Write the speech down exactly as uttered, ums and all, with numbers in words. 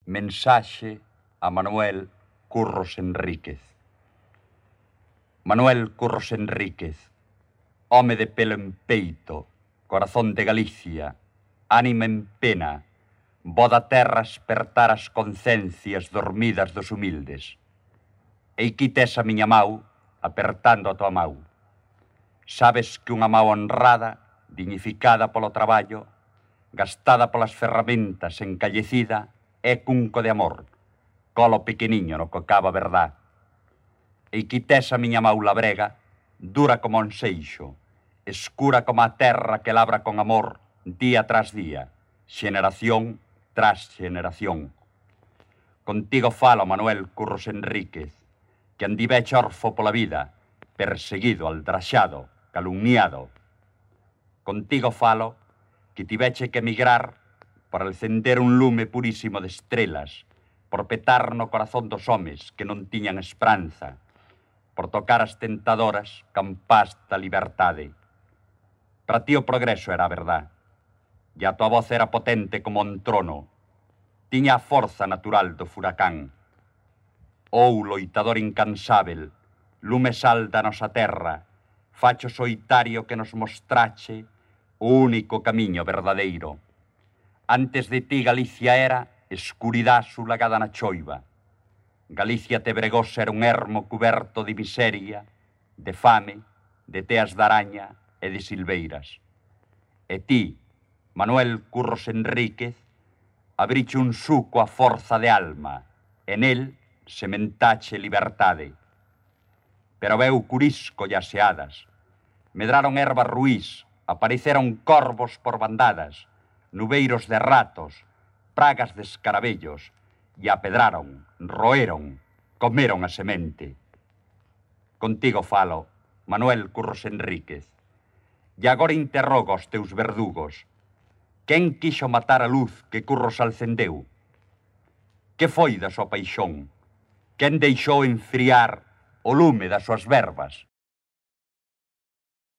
Mensaxe a Manuel Curros Enríquez. Manuel Curros Enríquez, home de pelo en peito, corazón de Galicia, ánima en pena, voz da terra espertar as concencias dormidas dos humildes. E quites a miña mau, apertando a tua mau. Sabes que unha mau honrada, dignificada polo traballo, gastada polas ferramentas, encallecida, é cunco de amor, colo pequeniño no que cava verdad. E quites a miña mau labrega, dura como un seixo, escura como a terra que labra con amor, día tras día, xeneración tras xeneración. Contigo falo, Manuel Curros Enríquez, que andiveche orfo pola vida, perseguido, aldraxado, calumniado. Contigo falo, que tiveche que emigrar para encender un lume purísimo de estrelas, por petar no corazón dos homes que non tiñan esperanza, por tocar as tentadoras campás da liberdade. Para ti o progreso era a verdad, e a tua voz era potente como un trono, tiña a forza natural do furacán. Ou, loitador incansável, lume sal da nosa terra, facho soitario que nos mostrache o único camiño verdadeiro. Antes de ti Galicia era escuridá sulagada na choiva. Galicia te bregó ser un ermo cuberto de miseria, de fame, de teas de araña e de silveiras. E ti, Manuel Curros Enríquez, abriche un suco a forza de alma, e nel sementache libertade. Pero veu curisco e aseadas, medraron ervas ruís, apareceron corvos por bandadas, nubeiros de ratos, pragas de escarabellos, e apedraron, roeron, comeron a semente. Contigo falo, Manuel Curros Enríquez, e agora interrogo aos teus verdugos. Quen quixo matar a luz que Curros alcendeu? Que foi da súa paixón? Quen deixou enfriar o lume das súas verbas?